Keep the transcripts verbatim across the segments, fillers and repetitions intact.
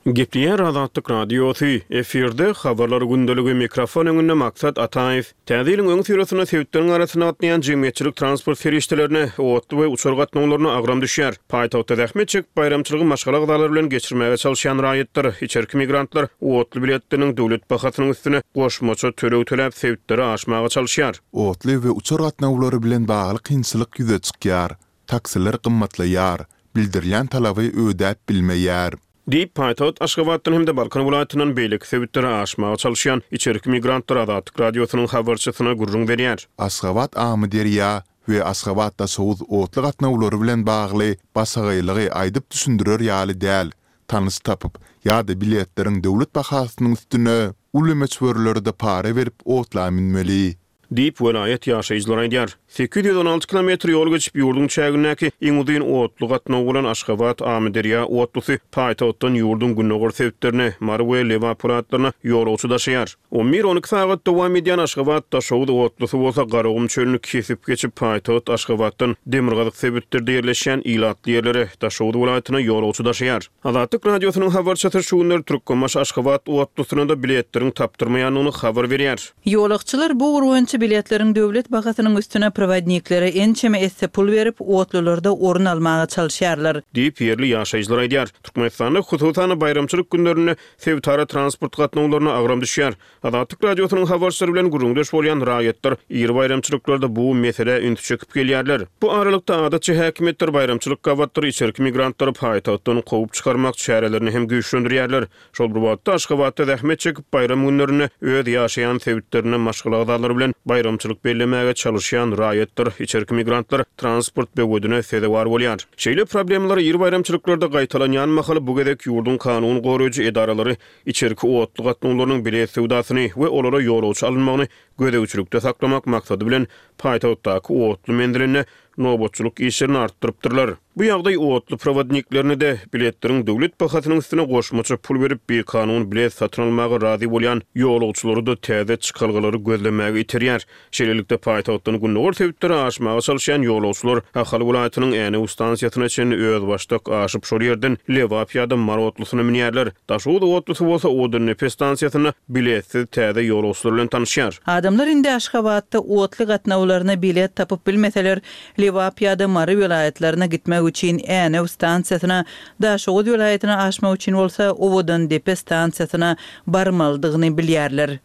Gepleýär Azatlyk Radiosy, efirde Habarlar gündeligi, mikrofon öňünde Maksat Ataýew. Täze ýylyň öňüsyrasynda sebitleriň arasynda gatnaýan jemgyýetçilik transport serişdelerine, otly we uçar gatnawlaryna agram düşýär. Paýtagtda zähmet çekip, baýramçylygy maşgala agzalary bilen geçirmäge çalyşýan raýatlar, içerki migrantlar otly biletleriniň döwlet bahasynyň üstüne goşmaça töleg töläp, sebitlere aşmaga çalyşýar. Otly we uçar gatnawlary bilen bagly kynçylyk ýüze çykýar. Taksiler gymmatlaýar, bildirilýän talaby ödäp bilmeýär. Diýip, paýtagt Aşgabatdan hem-de Balkan welaýatyndan beýleki sebitlere aşmaga çalyşýan içerki migrantlar Azatlyk Radiosynyň habarçysyna gürrüň berýär. Aşgabat-Amyderýa we Aşgabat-Daşoguz otly gatnawlary bilen bagly başagaýlygy aýdyp düşündirer ýaly däl, tanyş tapyp ýa-da biletleriň döwlet bahasynyň üstüne uly möçberlerde para berip otla münmeli. Diýip, welaýat ýaşaýjylary aýdýar. Sekiz ýüz on alty kilometr ýol geçip, ýurduň çägindäki iň uzyn otly gatnawy bolan Aşgabat, Amyderýa otlusy paýtagtdan ýurduň gündogar sebitlerine, Mary we Lebap welaýatlaryna ýolagçy daşaýar. On bir-on iki sagat dowam edýän Aşgabat, Daşoguz otlusy bolsa Garagum çölüni kesip geçip, paýtagt Aşgabatdan demirgazyk sebitlerde ýerleşýän ilatly ýerlere, Daşoguz welaýatyna ýolagçy daşaýar. Azatlyk Radiosynyň habarçysy şu günler Türkmenbaşy, Aşgabat otlusyna-da biletleriň tapdyrmaýandygyny habar berýär. Ýolagçylar bu ugur boýunça biletleriň döwlet bahasynyň üstüne prowodniklere ençeme esse pul berip, otlularda orun almaga çalyşýarlar. Diýip, ýerli ýaşaýjylar aýdýar. Türkmenistanda, hususan-da, baýramçylyk günlerinde sebitara transport gatnawlaryna agram düşýär. Azatlyk Radiosynyň habarçylary bilen gürrüňdeş bolýan raýatlar iri baýramçylyklarda bu meselä ünsi çekip gelýärler. Bu aralykda, adatça häkimiýetler baýramçylyk gabatlary içerki migrantlary paýtagtdan kowup çykarmak çärelerini hem güýçlendirýärler. Şol bir wagtda, Aşgabatda zähmet çekip, baýram günlerinde öz ýaşaýan sebitlerinde maşgala agzalary bilen baýramçylyk bellemäge çalyşýan raýatlar, içerki migrantlar transport böwedine sezewar bolýar. Şeýle problemalar iri baýramçylyklarda gaýtalanýan mahaly bu gezek ýurduň kanun goraýjy edaralary içerki otly gatnawlarynyň bilet söwdasyny we olara ýolagçy alynmagyny gözegçilikde saklamak maksady bilen paýtagtdaky otly menzilinde nobatçylyk işlerini artdyrypdyrlar. Bu ýagdaý otly prowodniklerini-de, biletleriň döwlet bahasynyň üstüne goşmaça pul berip, bikanun bilet satyn almaga razy bolýan ýolagçylary-da täze çykalgalary gözlemäge iterýär. Şeýlelikde, paýtagtdan gündogar sebitlere aşmaga çalyşýan ýolagçylar Ahal welaýatynyň Änew stansiýasyna çenli özbaşdak aşyp, şol ýerden Lebap ýa-da Mary otlusyna münýärler. Daşoguz otlusy bolsa Odandepe stansiýasynda biletsiz täze ýolagçylar bilen tanyşýar. Adamlar indi Aşgabatda otly gatnawlaryna bilet tapyp bilmeseler, Lebap ýa-da Mary welaýatlaryna gitmek üçin Änew stansiýasyna, Daşoguz welaýatyna aşmak üçin bolsa Owadandepe stansiýasyna barmalydygyny bilýärler.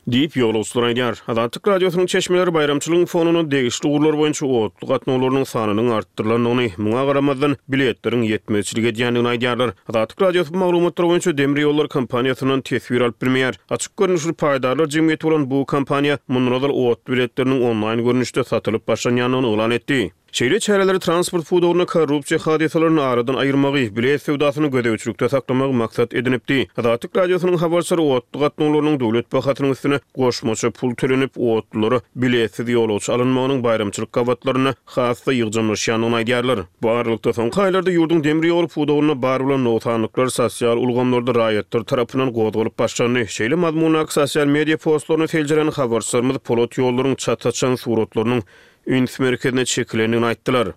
Diýip, ýolagçylar aýdýar. Azatlyk Radiosynyň çeşmeleri baýramçylygyň fonunda degişli ugurlar boýunça otly gatnawlarynyň sanynyň artdyrylandygyny, muňa garamazdan, biletleriň ýetmezçilik edýändigini aýdýarlar. Azatlyk Radiosy bu maglumatlar boýunça demir ýollar kompaniýasyndan teswir alyp bilmeýär. Açyk görnüşli paýdarlar jemgyýeti bolan bu kompaniýa mundan ozal otly biletleriniň onlaýn görnüşde satylyp başlanýandygyny yglan etdi. Şeýle çäreleri transport pudagynda korrupsiýa hadysalaryny aradan aýyrmagy, bilet söwdasyny gözegçilikde saklamagy maksat edinipdi. Azatlyk Radiosynyň habarçylary otly gatnawlarynyň döwlet bahasynyň üstüne goşmaça pul tölenip, otlulara biletsiz ýolagçy alynmagynyň baýramçylyk gabatlarynda has-da ýygjamlaşýandygyny aýdýarlar. Bu aralykda, soňky aýlarda ýurduň demir ýol pudagynda bar bolan nogsanlyklar sosial ulgamlarda raýatlar tarapyndan gozgalyp başlandy. Şeýle mazmundaky sosial media postlaryny seljeren habarçylarymyz polat ýollaryň çat açan suratlarynyň üns merkezine çekilendigini aýtdylar.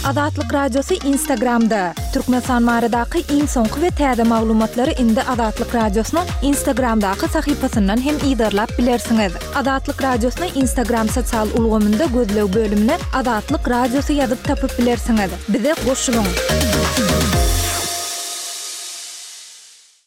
Azatlyk Radiosy Instagramda, Türkmenistan baradaky iň soňky we täze maglumatlary indi Azatlyk Radiosynyň Instagramdaky sahypasyndan hem yzarlap bilersiňiz. Azatlyk Radiosyny Instagram sosial ulgamynda gözleg bölümine Azatlyk Radiosy ýazyp tapyp bilersiňiz. Bize goşulyň!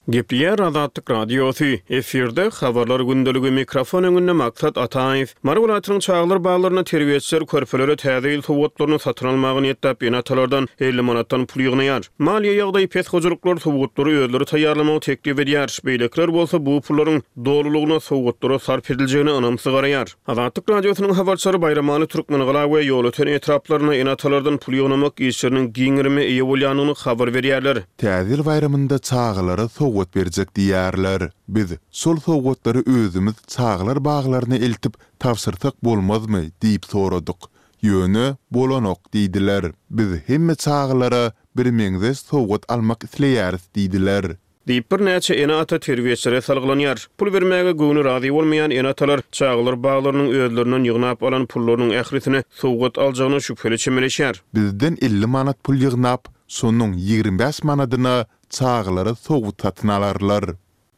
Gepleýär Azatlyk Radiosy, efirde Habarlar gündeligi, mikrofon öňünde Maksat Ataýew. Mary welaýatynyň çagalar baglarynda terbiýeçiler körpelere täze ýyl sowgatlaryny satyn almaga niýetläp ene-atalardan elli manatdan pul ýygnaýar. Maliýe ýagdaýy pes hojalyklar sowgatlary özleri taýýarlamagy teklip edýär, beýlekiler bolsa bu pullaryň dolulygyna sowgatlara sarp ediljegine ynamsyz garaýar. Azatlyk Radiosynyň habarçylary Baýramaly, Türkmengala we Ýolöten etraplarynda ene-atalardan pul ýygnamak işleriniň giň gerime eýe bolýandygyny habar berýärler. Täze ýyl baýramynda çagalara sowgat berjek diýýärler. Biz şol sowgatlary özümiz çagalar baglaryna eltip tabşyrsak bolmazmy diýip soradyk. Ýöne bolanok diýdiler. Biz hemme çagalara birmeňzeş sowgat almak isleýäris diýdiler. Diýip, birnäçe ene-ata terbiýeçilere salgylanýar. Pul bermäge göwni razy bolmaýan ene-atalar çagalar baglarynyň özlerinden ýygnap alan pullarynyň ählisine sowgat aljagyna şübheli çemeleşýär. Bizden elli manat pul ýygnap, Şonuň ýigrimi bäş manadyna çagalara sowgat satyn alarlar.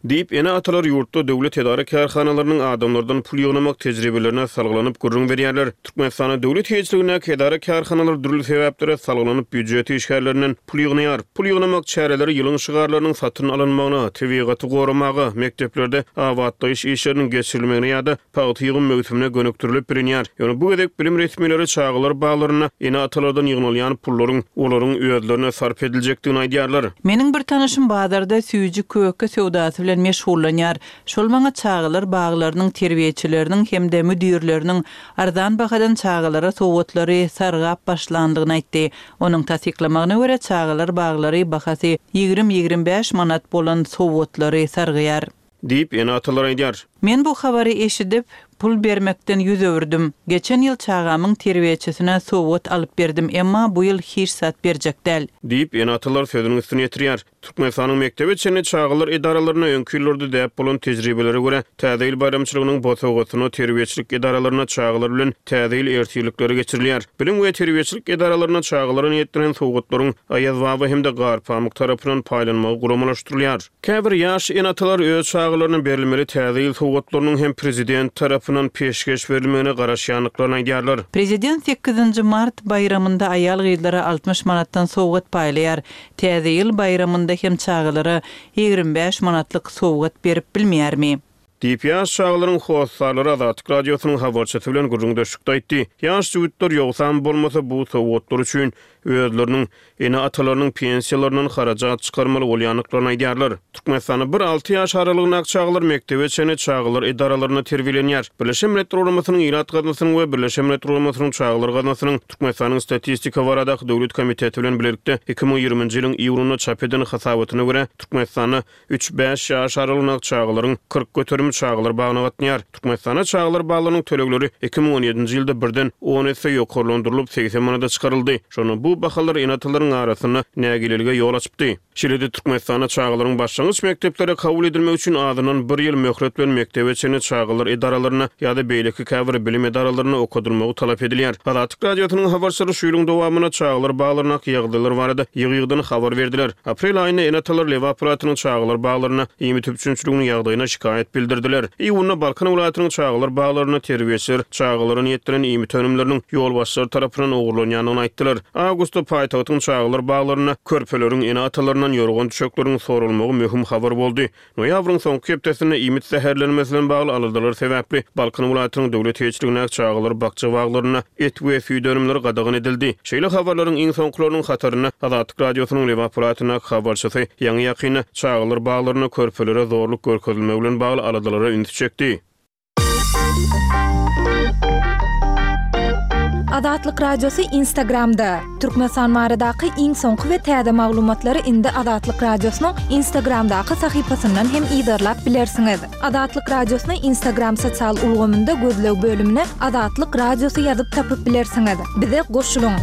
Diýip, ene-atalar ýurtda döwlet edara-kärhanalarynyň adamlardan pul ýygnamak tejribelerine salgylanyp gürrüň berýärler. Türkmenistanda döwlet eýeçiligindäki edara-kärhanalar dürli sebäplere salgylanyp býujet işgärlerinden pul ýygnaýar. Pul ýygnamak çäreleri ýylyň şygarlarynyň satyn alynmagyna, tebigaty goramaga, mekdeplerde abatlaýyş işleriniň geçirilmegine ýa-da pagta ýygym möwsümine gönükdirilip bilinýär. Ýöne bu gezek bilim resmileri çagalar baglarynda ene-atalardan ýygnalýan pullaryň olaryň özlerine sarp ediljekdigini aýdýarlar. Meniň bir tanyşym bazarda süýji-köke söwdasy bilen meşgullanýar. Şol maňa çagalar baglarynyň terbiýeçileriniň hem-de müdirleriniň arzan bahadan çagalara sowgatlary sargap başlandygyny aýtdy. Onuň tassyklamagyna görä, çagalar baglary bahasy ýigrimi-ýigrimi bäş manat bolan sowgatlary sargaýar. Diýip, ene-atalar aýdýar. Men bu habary eşidip, pul bermekden ýüz öwürdim. Geçen ýyl çagamyň terbiýeçisine sowgat alyp berdim, emma bu ýyl hiç zat berjek däl. Diýip, ene-atalar sözüniň üstüni ýetirýär. Türkmenistanyň mekdebe çenli çagalar edaralarynda öňki ýyllarda däp bolan tejribelere görä, Täze ýyl baýramçylygynyň bosagasynda terbiýeçilik edaralarynda çagalar bilen Täze ýyl ertirlikleri geçirilýär. Bilim we terbiýeçilik edaralarynda çagalara niýetlenen sowgatlaryň Aýaz baba hem-de Garpamyk tarapyndan paýlanmagy guramalaşdyrylýar. Käbir ýaş ene-atalar öz çagalaryna berilmeli Täze ýyl sowgatlarynyň hem prezident tarapyndan peşgeş berilmegine garaşýandyklaryny aýdýarlar. Prezident sekizinji mart baýramynda aýal-gyzlara altmyş manatdan sowgat paýlaýar. Täze ýyl baýramynda hem çagalara ýigrimi bäş manatlyk sowgat berip bilmeýärmi? Diýip, ýaş çagalaryň hossarlary Azatlyk Radiosynyň habarçysy bilen gürrüňdeşlikde aýtdy. Ýaş jübütler ýogsam bolmasa bu sowgatlar üçin özleriniň ene-atalarynyň pensiýalaryndan harajat çykarmaly bolýandyklaryny aýdýarlar. Türkmenistanda bir alty ýaş aralygyndaky çagalar mekdebe çenli çagalar edaralarynda terbiýelenýär. Birleşen Milletler Guramasynyň Ilat Gaznasynyň we Birleşen Milletler Guramasynyň Çagalar Gaznasynyň Türkmenistanyň Statistika baradaky döwlet komiteti bilen bilelikde iki müň ýigriminji ýylyň iýunynda çap eden hasabatyna görä, Türkmenistanda üç-bäş ýaş aralygyndaky çagalaryň kyrk göterimi çagalar bagyna gatnaýar. Türkmenistanda çagalar baglarynyň tölegleri iki müň on ýedinji ýylda birden on esse ýokarlandyrylyp, segsen manada çykaryldy. Şonda bu bahalar ene-atalaryň arasynda nägilelige ýol açypdy. Şeýle-de Türkmenistanda çagalaryň başlangyç mekdeplere kabul edilmegi üçin azyndan bir ýyl möhlet bilen mekdebe çenli çagalar edaralarynda ýa-da beýleki käbir bilim edaralarynda okadylmagy talap edilýär. Azatlyk Radiosynyň habarçylary şu ýylyň dowamynda çagalar baglaryndaky ýagdaýlar barada ýygy-ýygydan habar berdiler. Aprel aýynda ene-atalar Lebap welaýatynyň çagalar baglarynda iýmit üpjünçiliginiň ýagdaýyna şikaýat bildirdiler. Iýunda Balkan welaýatynyň çagalar baglarynda terbiýeçiler çagalara niýetlenen iýmit önümleriniň ýolbaşçylary tarapyndan ogurlanýandygyny aýtdylar. Awgustda paýtagtyň çagalar baglarynda körpeleriň ene-atalaryndan ýorgan düşekleriň soralmagy möhüm habar boldy. Noýabryň soňky hepdesinde iýmit zäherlenmesi bilen bagly aladalar sebäpli Balkan welaýatynyň döwlet eýeçiligindäki çagalar bakja baglarynda et we süýt önümleri gadagan edildi. Şeýle habarlaryň iň soňkularynyň hatarynda Azatlyk Radiosynyň Lebap welaýatyndaky habarçysy ýaňy-ýakynda çagalar baglarynda körpelere zorluk görkezilmegi bilen bagly aladalara ünsi çekdi. Azatlyk Radiosy Instagramda. Türkmenistan baradaky iň soňky we täze maglumatlary indi Azatlyk Radiosynyň Instagramdaky sahypasyndan hem yzarlap bilersiňiz. Azatlyk Radiosyny Instagram sosial ulgamynda gözleg bölümine Azatlyk Radiosy ýazyp tapyp bilersiňiz. Bize goşulyň.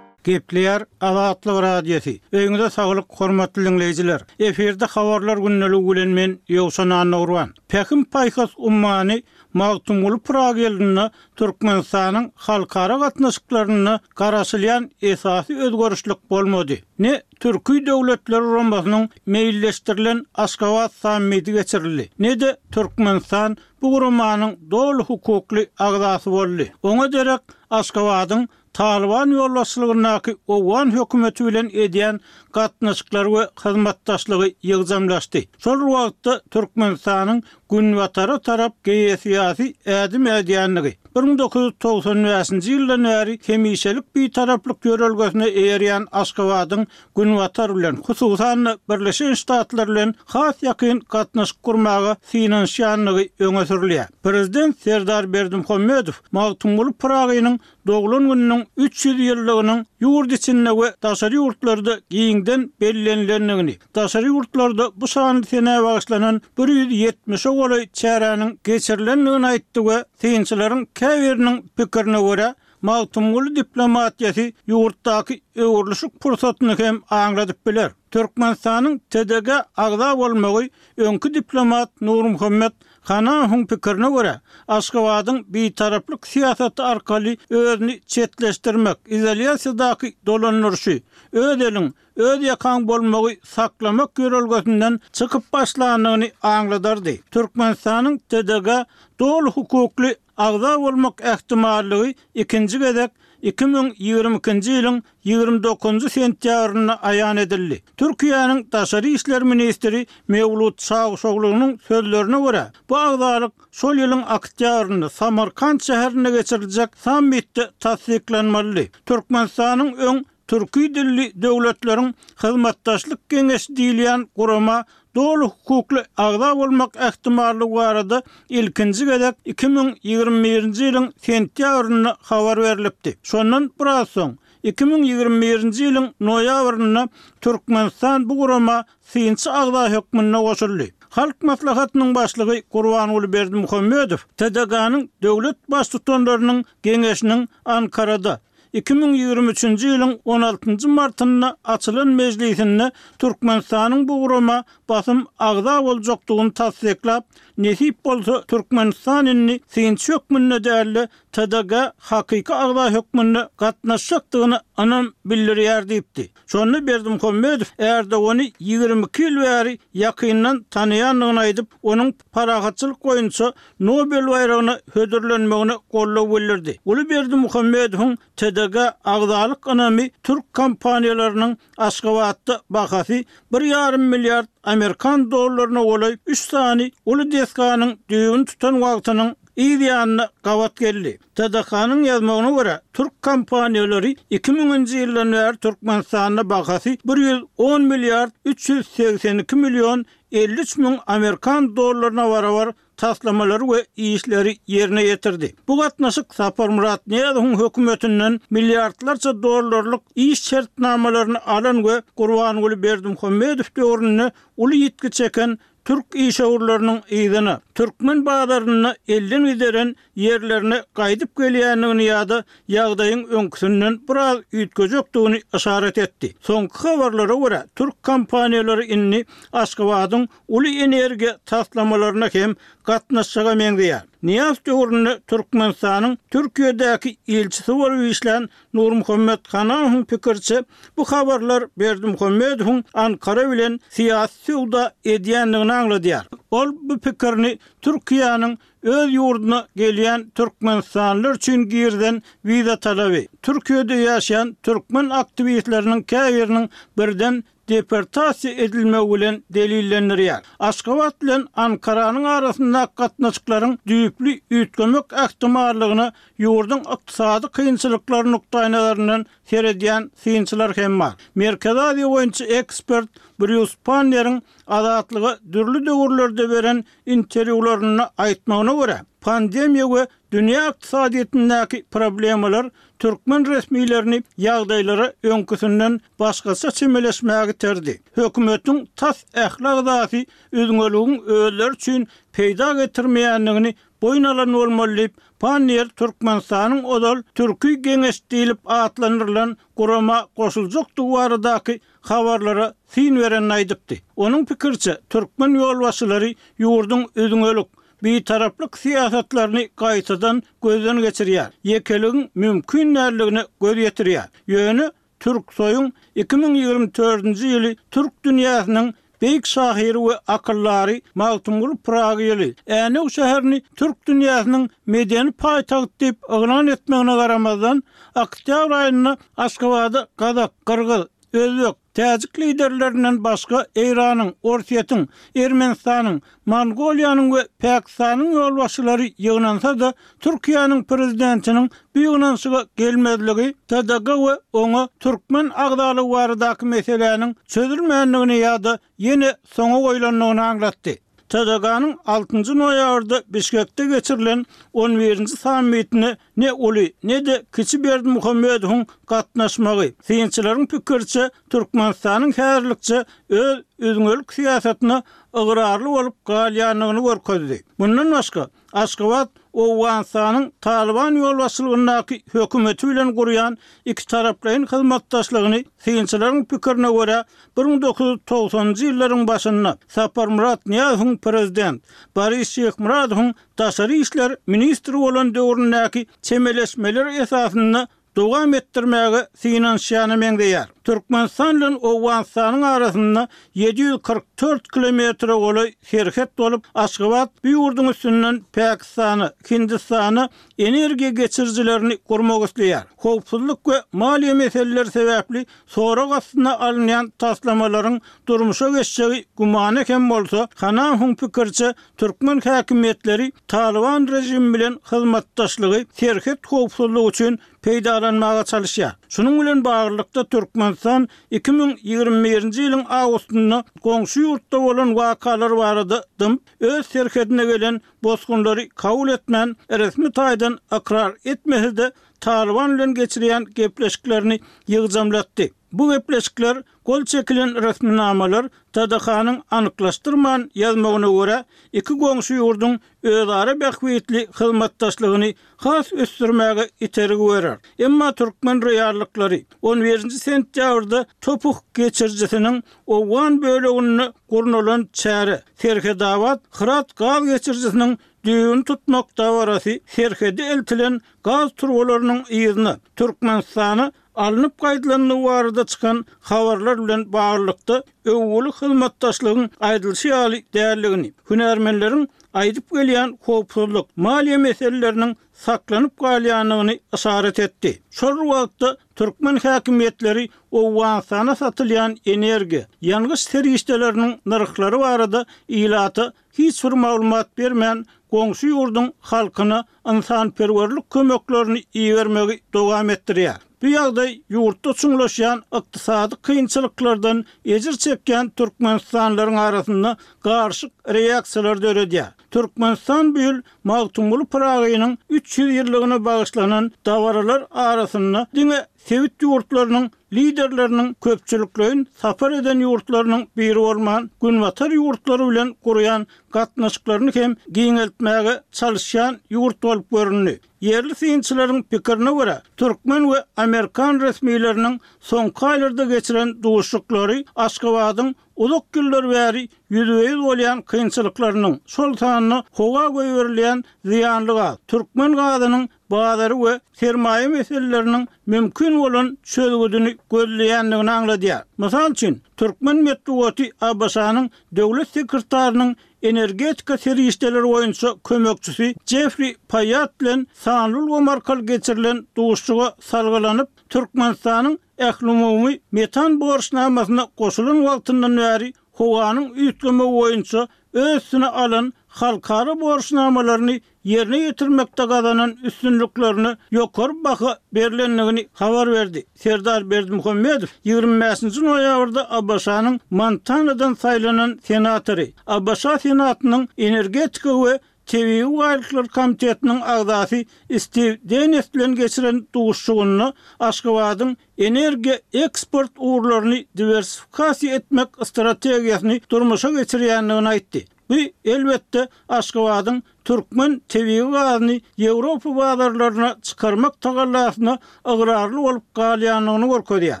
Gepleýär Azatlyk Radiosy. Öýüňize saglyk, hormatly dinleýjiler. Efirde habarlar gündeligi bilen men Ýowşan Annagurban. Pähim paýhas ummany Magtymguly Pyragy ýylynda Türkmenistanyň halkara gatnaşyklarynda garaşylýan esasy özgerişlik bolmady. Ne Türki Döwletler Guramasynyň meýilleşdirilen Aşgabat sammiti geçirildi, ne-de Türkmenistan bu guramanyň doly hukukly agzasy boldy. Oňa derek Aşgabadyň Talyban ýolbaşçylygyndaky Owgan hökümeti bilen edýän gatnaşyklary we hyzmatdaşlygy ýygjamlaşdy. Şol wagtda Türkmenistanyň Günbatara tarap geosyýasy ädim ädýänligi, bir müň dokuz ýüz togsan bäşinji ýyldan bäri hemişelik bitaraplyk ýörelgesine eýerýän Aşgabadyň Günbatar bilen, hususan-da Birleşen Ştatlar bilen has ýakyn gatnaşyk gurmaga synanyşýanlygy öňe sürülýär. Prezident Serdar Berdimuhamedow Magtymguly Pyragynyň doglan gününiň üç ýüz ýyllygynyň ýurt içinde we daşary ýurtlarda giňden bellenilendigini, daşary ýurtlarda bu şanly senä bagyşlanan bir ýüz ýetmişe golaý çäräniň geçirilendigini aýtdy we synçylaryň käbiriniň pikirine görä, Magtymguly diplomatiýasy ýurtdaky öwrülişik pursatyny hem aňladyp biler. Türkmenistanyň T D G agza bolmagy öňki diplomat Nurmuhammet Hanahowyň pikirine görä, Aşgabadyň bitaraplyk syýasaty arkaly özüni çetleşdirmek, izolýasiýadaky dolandyryşy, öz eliň, öz ýakaň bolmagy saklamak ýörelgesinden çykyp başlandygyny aňladardy. Türkmenistanyň T D G doly hukukly agza bolmak ähtimallygy ikinji gezek iki müň ýigrimi ikinji ýylyň ýigrimi dokuzynjy sentýabrynda aýan edildi. Türkiýäniň daşary işler ministri Mewlut Çawuşoglunyň sözlerine görä, bu agzalyk şol ýylyň oktýabrynda Samarkand şäherinde geçiriljek sammitde tassyklanmalydy. Türkmenistanyň öň Türki dilli döwletleriň hyzmatdaşlyk geňeşi diýilýän gurama doly hukukly agza bolmak ähtimallygy barada ilkinji gezek iki müň ýigrimi birinji ýylyň sentýabrynda habar berilipdi. Şondan biraz soň iki müň ýigrimi birinji ýylyň noýabrynda Türkmenistan bu gurama synçy agza hökmünde goşuldy. Halk Maslahatynyň başlygy Gurbanguly Berdimuhamedow T D G-nyň döwlet baştutanlarynyň geňeşiniň Ankarada iki müň ýigrimi üçünji ýylyň on altynjy martynda açylan mejlisinde Türkmenistanyň bu gurama basym agza boljakdygyny tassyklap, nesip bolsa Türkmenistan indi synçy hökmünde däl-de T D G hakyky agza hökmünde gatnaşjakdygyna ynam bildirýär diýipdi. Şonda Berdimuhamedow Erdogany ýigrimi iki ýyl bäri ýakyndan tanaýandygyny aýdyp, onuň parahatçylyk boýunça Nobel baýragyna hödürlenmegine goldaw bildirdi. Uly Berdimuhamedowyň T D G agzalyk ynamy türk kompaniýalarynyň Aşgabatda bahasy bir ýarym milliard Amerikan dollaryna golaý üç sany uly desganyň düýbüni tutan wagtynyň yz ýanyna gabat geldi. T D K-nyň ýazmagyna görä, türk kompaniýalary iki müňünji ýyldan bäri Türkmenistanda bahasy bir ýüz on milliard üç ýüz segsen iki million elli üç müň Amerikan dollaryna barabar taslamalary we işleri ýerine ýetirdi. Bu gatnaşyk Saparmyrat Nyýazowyň hökümetinden milliardlarça dollarlyk iş şertnamalaryny alan we Gurbanguly Berdimuhamedow döwründe uly ýitgi çeken türk işewürleriniň yzyna türkmen bazarynda elden gideren ýerlerine gaýdyp gelýändigini ýa-da ýagdaýyň öňküsinden biraz üýtgejekdigini yşarat etdi. Soňky habarlara görä, türk kompaniýalary indi Aşgabadyň uly energiýa taslamalaryna hem gatnaşjaga meňzeýär. Nyýazow döwründe Türkmenistanyň Türkiýedäki ilçisi bolup işlän Nurmuhammet Hanahowyň pikiriçe, bu habarlar Berdimuhamedowyň Ankara bilen syýasy söwda edýändigini aňladýar. Ol bu pikirini Türkiýäniň öz ýurduna gelýän türkmenistanlylar üçin girizen wiza talaby, Türkiýede ýaşaýan türkmen aktiwistleriniň käbiriniň birden deportasiýa edilmegi bilen delillendirýär. Aşgabat bilen Ankaranyň arasyndaky gatnaşyklaryň düýpli üýtgemek ähtimallygyna ýurduň ykdysady kynçylyklary nukdaýnazaryndan seredýän synçylar hem bar. Merkezi Aziýa boýunça ekspert Brýus Panneriň Azatlyga dürli döwürlerde beren interwýularynda aýtmagyna görä, pandemiýa we dünýä ykdysadyýetindäki problemalar türkmen resmilerini ýagdaýlara öňküsinden başgaça çemeleşmäge iterdi. Hökümetiň tas ähli agzasy üzňeligiň özleri üçin peýda getirmeýändigini boýun alan bolmaly diýip, Panniýer Türkmenistanyň ozal Türki Geňeş diýlip atlandyrylan gurama goşuljakdygy baradaky habarlara syn berenini aýdypdy. Onuň pikiriçe, türkmen ýolbaşçylary ýurduň üzňelik, bitaraplyk syýasatlaryny gaýtadan gözden geçirýär. Ýekeligiň mümkin däldigine göz ýetirýär. Ýöne Türksoýuň iki müň ýigrimi dördünji ýyly türk dünýäsiniň beýik şahyry we akyldary Magtymguly Pyragy ýyly, Änew şäherini türk dünýäsiniň medeni paýtagty diýip yglan etmegine garamazdan, oktýabr aýynda Aşgabada gazak, gyrgyz, özbek, täjik liderlerinden başga Eýranyň, Orsýetiň, Ermenistanyň, Mongoliýanyň we Pakistanyň ýolbaşçylary ýygnansa-da, Türkiýäniň prezidentiniň bu ýygnanyşyga gelmezligi T D G we oňa türkmen agzalygy baradaky meseläniň çözülmändigini ýa-da ýene soňa goýlandygyny aňlatdy. T D G-nyň altynjy noýabrda Bişkekde geçirilen on birinji sammitine ne uly, ne-de kiçi Berdimuhamedowyň gatnaşmagy, synçylaryň pikiriçe, Türkmenistanyň häzirlikçe öz üzňelik syýasatyna ygrarly bolup galýandygyny görkezdi. Mundan başga, Aşgabat Owganystanyň Talyban ýolbaşçylygyndaky hökümeti bilen gurýan ikitaraplaýyn hyzmatdaşlygyny synçylaryň pikirine görä, bir müň dokuz ýüz togsanynjy ýyllaryň başynda Saparmyrat Nyýazowyň prezident, Boris Şyhmyradowyň daşary işler ministri bolan döwründäki çemeleşmeler esasynda dowam etdirmäge synanyşýana meňzeýär. Türkmenistan bilen Owganystanyň arasynda ýedi ýüz kyrk dört kilometre golaý serhet bolup, Aşgabat bu ýurduň üstünden Pakistana, Hindistana energiýa geçirijilerini gurmak isleýär. Howpsuzlyk we maliýe meseleleri sebäpli sorag astyna alynýan taslamalaryň durmuşa geçjegi gümana hem bolsa, Hanahowyň pikiriçe, türkmen häkimiýetleri Talyban režimi bilen hyzmatdaşlygy serhet howpsuzlygy üçin peýdalanmaga çalyşýar. Şunuň bilen baglylykda, Türkmenistan iki müň ýigrimi birinji ýylyň awgustynda goňşy ýurtda bolan wakalar barada dymyp, öz serhedine gelen bosgunlary kabul etmän, resmi taýdan ykrar etmese-de, Talyban bilen geçirýän gepleşiklerini ýygjamlatdy. Bu gepleşikler, gol çekilen resminamalar T D H-nyň anyklaşdyrman ýazmagyna görä, iki goňşy ýurduň özara bähbitli hyzmatdaşlygyny has ösdürmäge itergi berer. Emma türkmen reallyklary on birinji sentýabrda Topuh geçirijisiniň owgan böleginde gurnalan çäre, Serhetabat Hyrat gaz geçirijisiniň düýbüni tutmak dabarasy serhede eltilen gaz turbalarynyň yzyna Türkmenistana alnyp gaýdylandygy barada çykan habarlar bilen baglylykda öwgüli hyzmatdaşlygyň aýdylyşy ýaly däldigini, hünärmenleriň aýdyp gelýän howpsuzlyk, maliýe meseleleriniň saklanyp galýandygyny yşarat etdi. Şol wagtda türkmen häkimiýetleri Owganystana satylýan energiýa, ýangyç serişdeleriniň nyrhlary barada ilata hiç bir maglumat bermän, goňşy ýurduň halkyna ynsanperwerlik kömeklerini ibermegi dowam etdirýär. Bu ýagdaý ýurtda çuňlaşýan ykdysady kynçylyklardan ejir çekýän türkmenistanlylaryň arasynda garşyk reaksiýalar döredýär. Türkmenistan bu ýyl Magtymguly Pyragynyň üç ýüz ýyllygyna bagyşlanan dabaralar arasynda diňe sebit ýurtlarynyň liderleriniň köpçülikleýin sapar eden ýurtlarynyň biri bolman, Günbatar ýurtlary bilen gurýan gatnaşyklaryny hem giňeltmäge çalyşýan ýurt bolup göründi. Ýerli synçylaryň pikirine görä, türkmen we amerikan resmileriniň soňky aýlarda geçiren duşuşyklary Aşgabadyň uzak ýyllar bäri ýüzbe-ýüz bolýan kynçylyklarynyň, şol sanda howa goýberilýän zyýanly gaz, türkmen gazynyň bazary we sermaýa meseleleriniň mümkin bolan çözgüdini gözleýändigini aňladýar. Mysal üçin, türkmen metbugaty A B Ş-nyň döwlet sekretarynyň energetika serişdeleri boýunça kömekçisi Jeffri Paýat bilen sanly ulgam arkaly geçirilen duşuşyga salgylanyp, Türkmenistanyň ählumumy metan borçnamasyna goşulan wagtyndan bäri howanyň üýtgemegi boýunça öz üstüne alan halkara borçnamalaryny ýerine ýetirmekde gazanan üstünliklerine ýokary baha berlendigini habar berdi. Serdar Berdimuhamedow ýigrimi bäşinji noýabrda A B Ş-nyň Montanadan saýlanan senatory, A B Ş Senatynyň energetika we tebigy baýlyklar komitetiniň agzasy Stiw Denis bilen geçiren duşuşygynda Aşgabadyň energiýa eksport ugurlaryny diwersifikasiýa etmek strategiýasyny durmuşa geçirýändigini aýtdy. Bu, elbetde, Aşgabadyň türkmen tebigy gazyny Ýewropa bazarlaryna çykarmak tagallasyna ygrarly bolup galýandygyny görkezýär.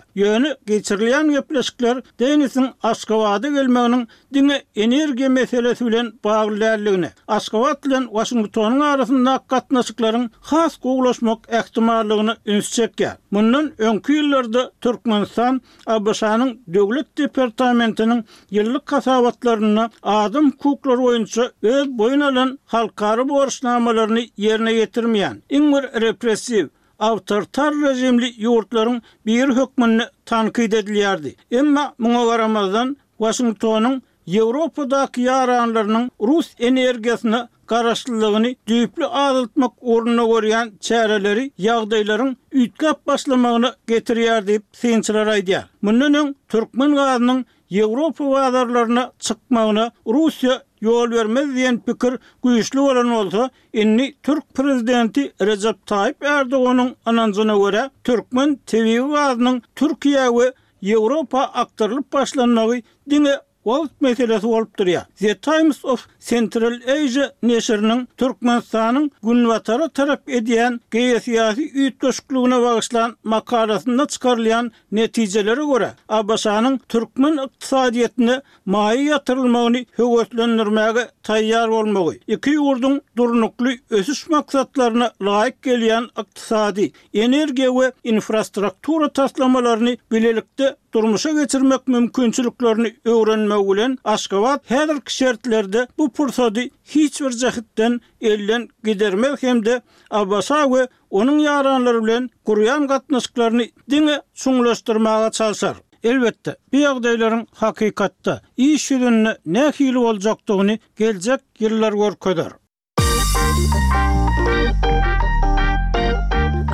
Ýöne geçirilýän gepleşikler Denisiň Aşgabada gelmeginiň diňe energiýa meselesi bilen bagly däldigini, Aşgabat bilen Waşingtonyň arasyndaky gatnaşyklaryň has gowulaşmak ähtimallygyna üns çekýär. Mundan öňki ýyllarda Türkmenistan A B Ş-nyň Döwlet departamentiniň ýyllyk hasabatlarynda adam hukuklary boýunça öz boýun alan halkara borçnamalaryny ýerine ýetirmeýän, iň bir repressiw, awtoritar režimli ýurtlaryň biri hökmünde tankyt edilýärdi. Emma muňa garamazdan, Waşingtonyň Ýewropadaky ýaranlarynyň rus energiýasyna garaşlylygyny düýpli azaltmak ugrunda görýän çäreleri ýagdaýlaryň üýtgäp başlamagyna getirýär diýip, synçylar aýdýar. Mundan öň türkmen gazynyň Ýewropa bazarlaryna çykmagyna Russiýa ýol bermez diýen pikir güýçli bolan bolsa, indi türk prezidenti Rejep Taýyp Erdoganyň ynanjyna görä, türkmen tebigy gazynyň Türkiýä we Ýewropa akdyrylyp başlanmagy diňe wagt meselesi bolup durýar. The Times of Central Asia neşiriniň Türkmenistanyň Günbatara tarap edýän geosyýasy üýtgeşikligine bagyşlan makalasynda çykarylýan netijelere görä, ABŞ-nyň türkmen ykdysadyýetine maýa ýatyrylmagyny höweslendirmäge taýýar bolmagy, iki ýurduň durnukly ösüş maksatlaryna laýyk gelýän ykdysady, energiýa we infrastruktura taslamalaryny bilelikde durmuşa geçirmek mümkinçiliklerini öwrenmegi bilen Aşgabat häzirki şertlerde bu pursady hiç bir jähtden elden gidermez hem-de ABŞ we onuň ýaranlary bilen gurýan gatnaşyklaryny diňe çuňlaşdyrmaga çalşar. Elbetde, bu ýagdaýlaryň hakykatda, iş ýüzünde nähili boljakdygyny geljek ýyllar görkezer.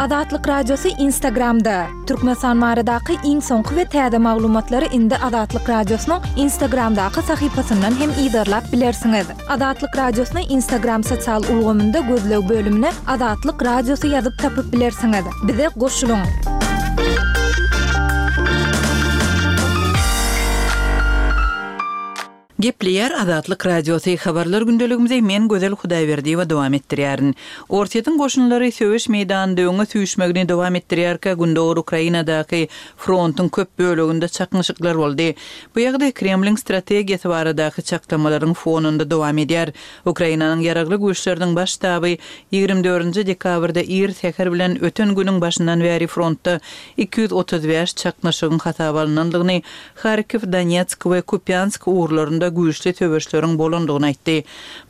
Azatlyk Radiosy Instagramda, Türkmenistan baradaky iň soňky we täze maglumatlary indi Azatlyk Radiosynyň Instagramdaky sahypasyndan hem yzarlap bilersiňiz. Azatlyk Radiosyny Instagram sosial ulgamynda gözleg bölümine Azatlyk Radiosy ýazyp tapyp bilersiňiz. Bize goşulyň! Gepleýär Azatlyk Radiosy, Habarlar gündeligimizi men Gözel Hudaýberdiýewa dowam etdirýärin. Orsýetiň goşunlary söweş meýdanynda öňe süýşmegini dowam etdirýärkä, gündogar Ukrainadaky frontuň köp böleginde çaknyşyklar boldy. Bu ýagdaý Kremliň strategiýasy baradaky çaklamalaryň fonunda dowam edýär. Ukrainanyň Ýaragly Güýçleriniň Baş ştaby ýigrimi dördünji dekabrda ir säher bilen öten günüň başyndan bäri frontda iki ýüz otuz bäş çaknyşygyň hasaba alnandygyny, Harkiw, Donetsk we Kupýansk ugurlarynda güýçli söweşleriň bolandygyny aýtdy.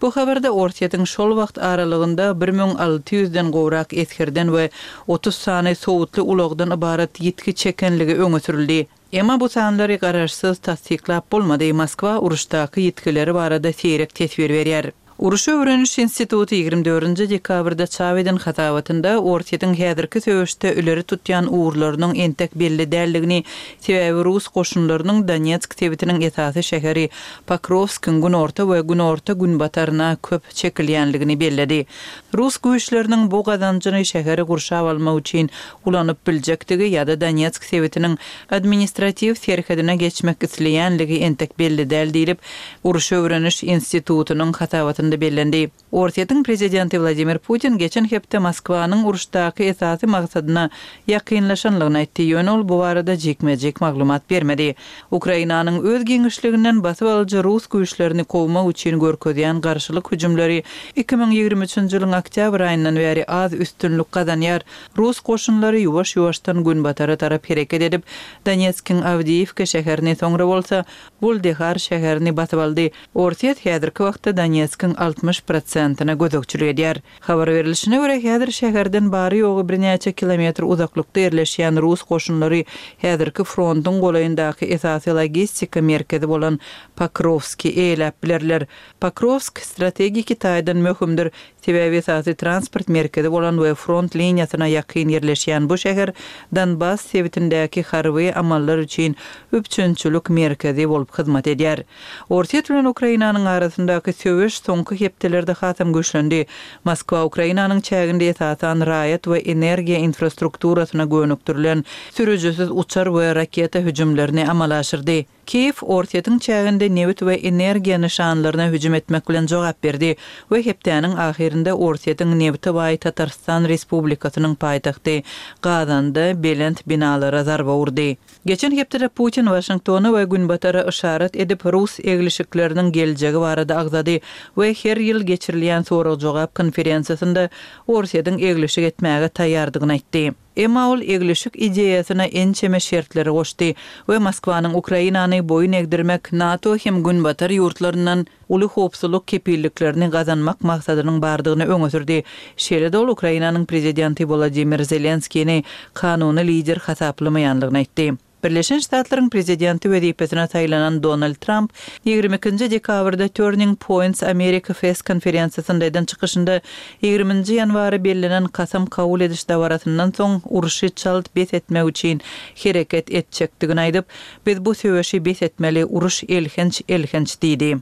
Bu habarda Orsýetiň şol wagt aralygynda bir müň alty ýüzden gowrak esgerden we otuz sany sowutly ulagdan ybarat ýitgi çekenligi öňe sürüldi. Emma bu sanlary garaşsyz tassyklap bolmady, Moskwa uruşdaky ýitgileri barada seýrek teswir berýär. Uruşy öwreniş instituty ýigrimi dördünji dekabrda çap eden hasabatynda Orsýetiň häzirki söweşde ileri tutýan ugurlarynyň entek belli däldigini, sebäbi rus goşunlarynyň Donetsk sebitiniň esasy şäheri Pokrowskiň günorta we günorta-günbataryna köp çekilýänligini belledi. Rus güýçleriniň bu gazanjyny şäheri gurşap almak üçin ulanyp biljekdigi ýa-da Donetsk sebitiniň administratiw serhedine geçmek isleýänligi entek belli däl diýlip, Uruşy öwreniş institutynyň hasabatynda bellendi. Orsýetiň prezidenti Wladimir Putin geçen hepde Moskwanyň uruşdaky esasy maksadyna ýakynlaşanlygyny aýtdy, ýöne ol bu barada jikme-jik maglumat bermedi. Ukrainanyň öz giňişliginden basyp alyjy rus güýçlerini kowmak üçin görkezýän garşylyk hüjümleri iki müň ýigrimi üçünji ýylyň oktýabr aýyndan bäri az üstünlik gazanýar. Rus goşunlary ýuwaş-ýuwaşdan günbatara tarap hereket edip, Donetskiň Awdiýiwka şäherini, soňra bolsa Wuldehar şäherini basyp aldy. Orsýet häzirki wagtda Donetskiň altmyş prosentine gözegçilik edýär. Habar berlişine görä, häzir şäherden bary-ýogy birnäçe kilometr uzaklykda ýerleşýän rus goşunlary häzirki frontuň golaýyndaky esasy logistika merkezi bolan Pokrowski eýeläp bilerler. Pokrowsk strategiki taýdan möhümdir, sebäbi esasy transport merkezi bolan we front liniýasyna ýakyn ýerleşýän bu şäher Donbass sebitindäki harby amallar üçin üpjünçilik merkezi bolup hyzmat edýär. Orsýet bilen Ukrainanyň arasyndaky söweş soňky hepdelerde hasam güýçlendi. Moskwa Ukrainanyň çäginde esasan raýat we energiýa infrastrukturasyna gönükdirilen sürüjisiz uçar we raketa hüjümlerini amala aşyrdy. Kiýew Orsýetiň çäginde nebit we energiýa nyşanlaryna hüjüm etmek bilen jogap berdi we hepdäniň ahyrynda Orsýetiň nebite baý Tatarystan Respublikasynyň paýtagty Gazanda belent binalara zarba urdy. Geçen hepdede Putin Waşingtona we Günbatara yşarat edip, rus eglişikleriniň geljegi barada agzady we her ýyl geçirilýän sorag-jogap konferensiýasynda Orsýetiň eglişik etmäge taýýardygyny aýtdy. Emma ol eglişik ideýasyna ençeme şertleri goşdy we Moskwanyň Ukrainany boýun egdirmek, NATO hem Günbatar ýurtlaryndan uly howpsuzlyk kepilliklerini gazanmak maksadynyň bardygyny öňe sürdi. Şeýle-de ol Ukrainanyň prezidenti Wolodymyr Zelenskini kanuny lider hasaplamaýanlygyny aýtdy. Birleşen Ştatlaryň prezidenti wezipesine saýlanan Donald Tramp ýigrimi ikinji dekabrda Turning Points America Fest konferensiýasynda eden çykyşynda ýigriminji ýanwara bellenen kasam kabul ediş dabarasyndan soň urşy çalt bes etmek üçin hereket etjekdigini aýdyp, Biz bu söweşi bes etmeli, uruş elhenç, elhenç diýdi.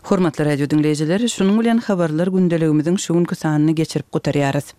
Hormatly radio diňleýjiler, şunuň bilen habarlar gündeligimiziň şu günki sanyny geçirip gutarýarys.